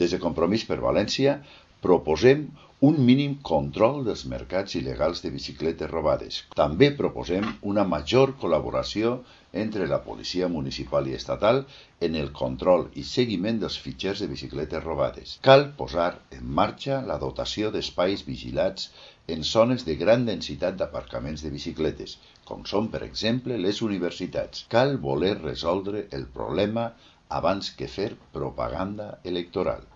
Des de Compromís per València proposem un mínim control dels mercats il·legals de bicicletes robades. També proposem una major col·laboració entre la policia municipal i estatal en el control i seguiment dels fitxers de bicicletes robades. Cal posar en marxa la dotació d'espais vigilats en zones de gran densitat d'aparcaments de bicicletes, com són, per exemple, les universitats. Cal voler resoldre el problema abans que fer propaganda electoral.